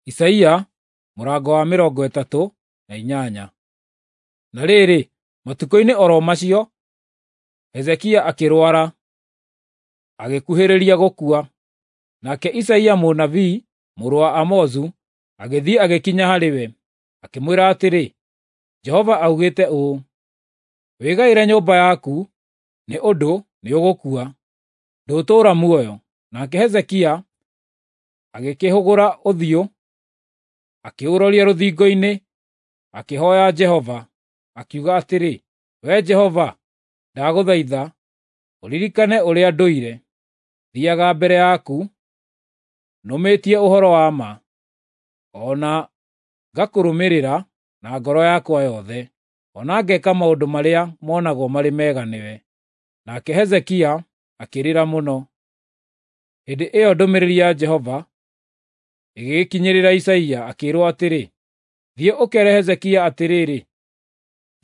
Isaia mũrango wa 38. Na rĩrĩ, matukũ-inĩ oro macio, Hezekia akĩrwara, agĩkuhĩrĩria gũkua. Nake Isaia mũnabii mũrũ wa Amozu agĩthiĩ agĩkinya harĩ we, akĩmwĩra atĩrĩ, Jehova augĩte ũũ, wĩgaĩre nyũmba yaku, nĩ ũndũ nĩũgũkua, ndũtũũra muoyo. Nake Hezekia agĩkĩhũgũra ũthiũ, akĩũroria rũthingo-inĩ, akĩhooya Jehova, akiuga atĩrĩ, "Wee Jehova, ndagũthaitha ũririkane ũrĩa ndũire thiiaga mbere yaku nũmĩtie ũhoro wa ma, o na ngakũrũmĩrĩra na ngoro yakwa yothe, o na ngeka maũndũ marĩa monagwo marĩ mega nĩwe." Nake Hezekia akĩrĩra mũno. Hĩndĩ ĩyo ndũmĩrĩri ya Jehova ĩgĩgĩkinyĩrĩra Isaia, akĩĩrwo atĩrĩ, "Thiĩ ũkeere Hezekia atĩrĩrĩ,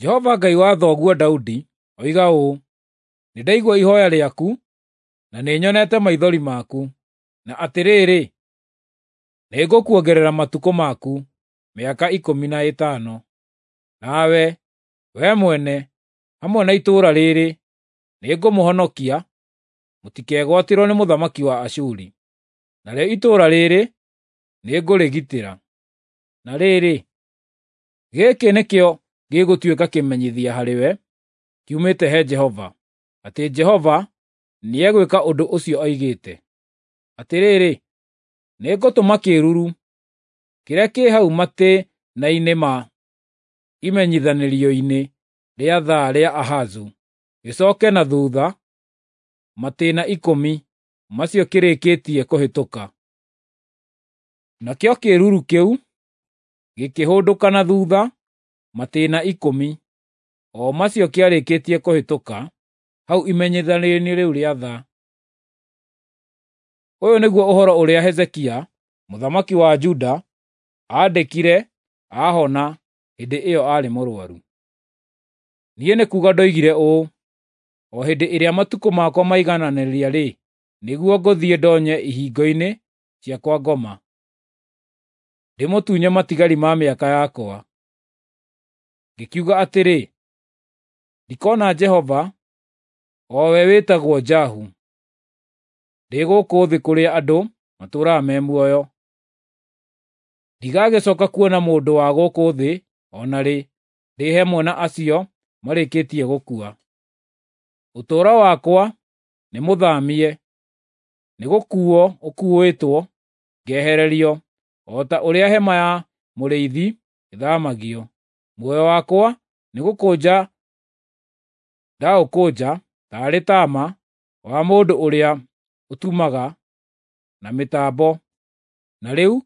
Jehova Ngai wa thoguo Daudi oiga ũũ, nĩndaigua ihooya rĩaku na nĩnyonete maithori maku, na atĩrĩrĩ, nĩngũkuongerera matukũ maku mĩaka 15. Nawe, wee mwene, hamwe na itũũra rĩrĩ, nĩngũmũhonokia mũtikegwatĩrwo nĩ mũthamaki wa Ashuri. Narĩo itũũra rĩrĩ nĩngũrĩgitĩra. Na rĩrĩ, gĩkĩ nĩkĩo gĩgũtuĩka kĩmenyithia harĩwe kiumĩte he Jehova, atĩ Jehova nĩegwĩka ũndũ ũcio oigĩte. Atĩrĩrĩ, nĩngũtũma kĩĩruru kĩrĩa kĩ hau matĩĩna-inĩ ma imenyithanĩrio-inĩ rĩa thaa rĩa Ahazu gĩcooke na thuutha matĩĩna 10 macio kĩrĩkĩtie kũhĩtũka." Nakĩo kĩĩruru kĩu gĩkĩhũndũka na thuutha matĩĩna 10 o macio kĩarĩkĩtie kũhĩtũka hau imenyithanĩrio-inĩ rĩu rĩa thaa. Ũyũ nĩguo ũhoro ũrĩa Hezekia mũthamaki wa Juda aandĩkire aahona hĩndĩ ĩyo aarĩ mũrũaru. Niĩ nĩ kuuga ndoigire ũũ, o hĩndĩ ĩrĩa matukũ makwa maigananĩria-rĩ, nĩguo ngũthiĩ ndonye ihingo-inĩ cia kwa ngoma, ndĩmũtunye matigari ma mĩaka yakwa. Ngĩkiuga atĩrĩ, ndikona Jehova, o we wĩtagwo Jahu, ndĩ gũkũ thĩ kũrĩa andũ matũũraga me muoyo. Ndigagĩcooka kuona mũndũ wa gũkũ thĩ o na rĩ, ndĩ hamwe na acio marĩkĩtie gũkua. Ũtũũro wakwa nĩmũthamie, nĩgũkuuo ũkuuĩtwo ngehererio o ta ũrĩa hema ya mũrĩithi ĩthaamagio. Muoyo wakwa nĩgũkũnja ndaũkũnja taarĩ taama wa mũndũ ũrĩa ũtumaga na mĩtambo, na rĩu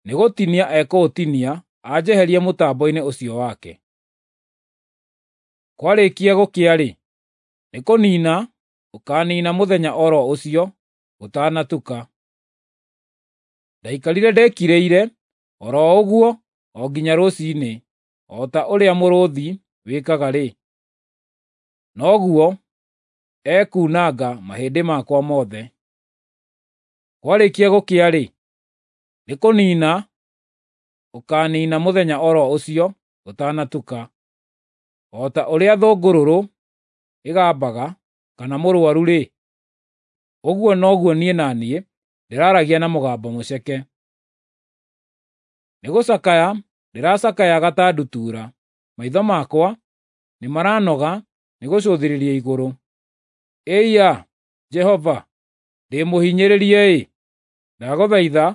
nĩgũtinia ekũũtinia anjeherie mũtambo-inĩ ũcio wake. Kwarĩkia gũkĩa-rĩ, nĩkũniina ũkaaniina mũthenya o ro ũcio gũtanatuka. Ndaikarire ndĩkirĩire o ro ũguo o nginya rũciinĩ, o ta ũrĩa mũrũũthi wĩkaga-rĩ, noguo ekuunanga mahĩndĩ makwa mothe. Kwarĩkia gũkĩa-rĩ, nĩkũniina ũkaaniina mũthenya o ro ũcio gũtanatuka. O ta ũrĩa thũngũrũrũ ĩgambaga kana mũrũaru-rĩ, ũguo noguo niĩ na niĩ ndĩraaragia na mũgambo mũceke. Nĩgũcakaya ndĩracakayaga ta ndutura, maitho makwa nĩmaranoga nĩgũcũthĩrĩria igũrũ. Ĩiya, Jehova, ndĩ mũhinyĩrĩrie-ĩ! Ndagũthaitha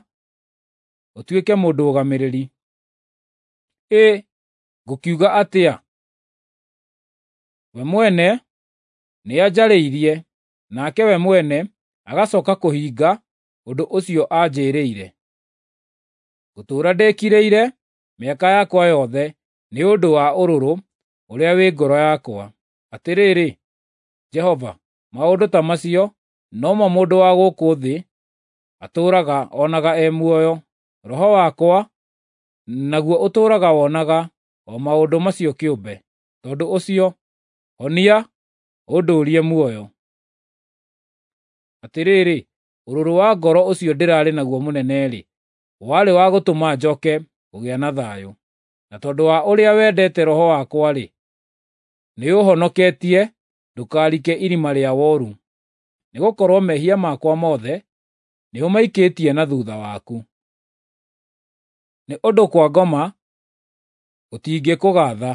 ũtuĩke mũndũgamĩrĩri. Ĩ, ngũkiuga atĩa? We mwene nĩanjarĩirie, nake we mwene agacooka kũhinga ũndũ ũcio anjĩĩrĩire. Ngũtũũra ndĩkirĩire mĩaka yakwa yothe nĩ ũndũ wa ũrũrũ ũrĩa wĩ ngoro yakwa. Atĩrĩrĩ, Jehova, maũndũ ta macio nomo mũndũ wa gũkũ thĩ atũũraga onaga e muoyo. Roho wakwa naguo ũtũũraga wonaga o maũndũ macio kĩũmbe. Tondũ ũcio, honia ũndũũrie muoyo. Atĩrĩrĩ, ũrũrũ wa ngoro ũcio ndĩrarĩ naguo mũnene-rĩ, warĩ wa gũtũma njoke kũgĩa na thayũ. Na tondũ wa ũrĩa wendete roho wakwa-rĩ, nĩũũhonoketie ndũkarike irima rĩa woru. Nĩgũkorwo mehia makwa mothe nĩũmaikĩtie na thutha waku. Nĩ ũndũ kwa ngoma gũtingĩkũgaatha,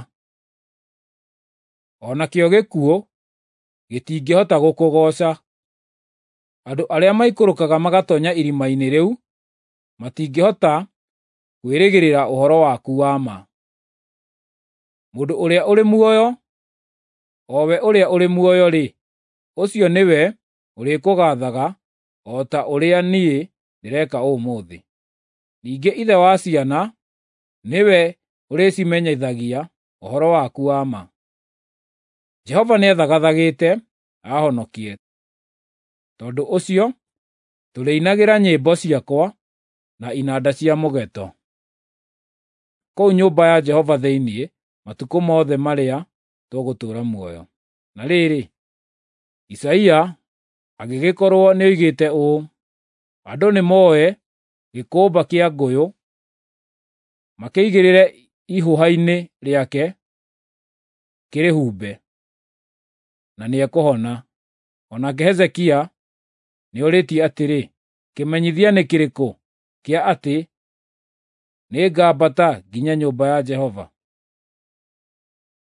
o nakĩo gĩkuũ gĩtingĩhota gũkũgooca. Andũ arĩa maikũrũkaga magatoonya irima-inĩ rĩu matingĩhota kwĩrĩgĩrĩra ũhoro waku wa ma. Mũndũ ũrĩa ũrĩ muoyo, o we ũrĩa ũrĩ muoyo-rĩ, ũcio nĩwe ũrĩkũgaathaga o ta ũrĩa niĩ ndĩreka ũmũthĩ. Ningĩ ithe wa ciana nĩwe ũrĩcimenyithagia ũhoro waku wa ma. Jehova nĩethagathagĩte aahonokie; tondũ ũcio tũrĩinagĩra nyĩmbo ciakwa na inanda cia mũgeeto kũu nyũmba ya Jehova thĩinĩ matukũ mothe marĩa tũgũtũũra muoyo. Na rĩrĩ, Isaia agĩgĩkorwo nĩoigĩte ũũ, andũ nĩmoe gĩkũmba kĩa ngũyũ makĩigĩrĩre ihũha-inĩ rĩake kĩrĩhumbe, na nĩekũhona. O nake Hezekia nĩorĩtie atĩrĩ, kĩmenyithia nĩ kĩrĩkũ kĩa atĩ nĩngambata nginye nyũmba ya Jehova?